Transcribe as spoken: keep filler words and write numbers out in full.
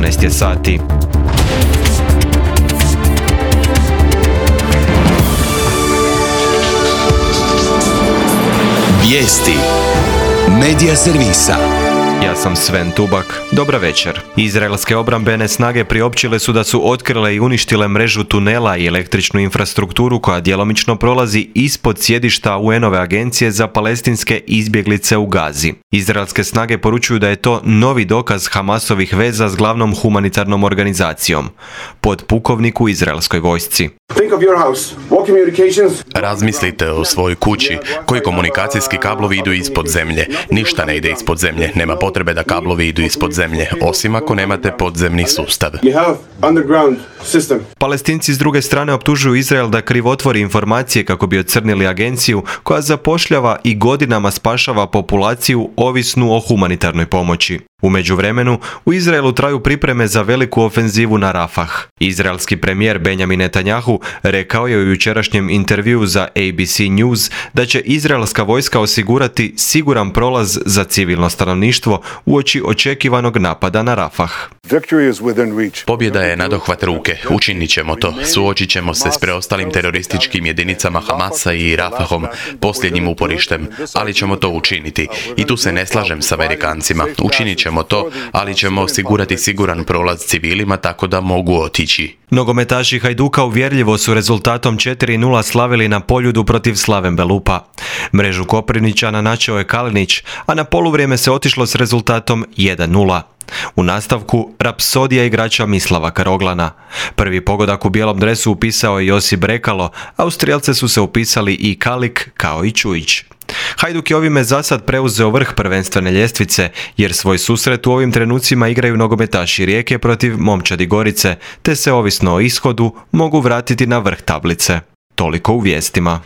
jedanaest je sati. Vijesti Medija servisa. Ja sam Sven Tubak. Dobra večer. Izraelske obrambene snage priopćile su da su otkrile i uništile mrežu tunela i električnu infrastrukturu koja djelomično prolazi ispod sjedišta U N-ove agencije za palestinske izbjeglice u Gazi. Izraelske snage poručuju da je to novi dokaz Hamasovih veza s glavnom humanitarnom organizacijom. Podpukovnik u izraelskoj vojsci. Razmislite o svojoj kući. Koji komunikacijski kablovi idu ispod zemlje? Ništa ne ide ispod zemlje. Nema potrebe da kablovi idu ispod zemlje, osim ako nemate podzemni sustav. Palestinci s druge strane optužuju Izrael da krivotvori informacije kako bi ocrnili agenciju koja zapošljava i godinama spašava populaciju ovisnu o humanitarnoj pomoći. U međuvremenu, u Izraelu traju pripreme za veliku ofenzivu na Rafah. Izraelski premijer Benjamin Netanjahu rekao je u jučerašnjem intervjuu za A B C News da će izraelska vojska osigurati siguran prolaz za civilno stanovništvo uoči očekivanog napada na Rafah. Pobjeda je nadohvat ruke. Učinit ćemo to. Suočit ćemo se s preostalim terorističkim jedinicama Hamasa i Rafahom, posljednjim uporištem, ali ćemo to učiniti. I tu se ne slažem s Amerikancima. Učinit ćemo to, ali ćemo osigurati siguran prolaz civilima tako da mogu otići. Nogometaši Hajduka uvjerljivo su rezultatom četiri nula slavili na Poljudu protiv Slaven Belupa. Mrežu Koprivničana načeo je Kalinić, a na poluvrijeme se otišlo s rezultatom jedan nula. U nastavku rapsodija igrača Mislava Karoglana. Prvi pogodak u bijelom dresu upisao je Josip Brekalo, a u strijelce su se upisali i Kalik kao i Čujić. Hajduk je ovime zasad preuzeo vrh prvenstvene ljestvice, jer svoj susret u ovim trenucima igraju nogometaši Rijeke protiv Momčadi Gorice, te se ovisno o ishodu mogu vratiti na vrh tablice. Toliko u vijestima.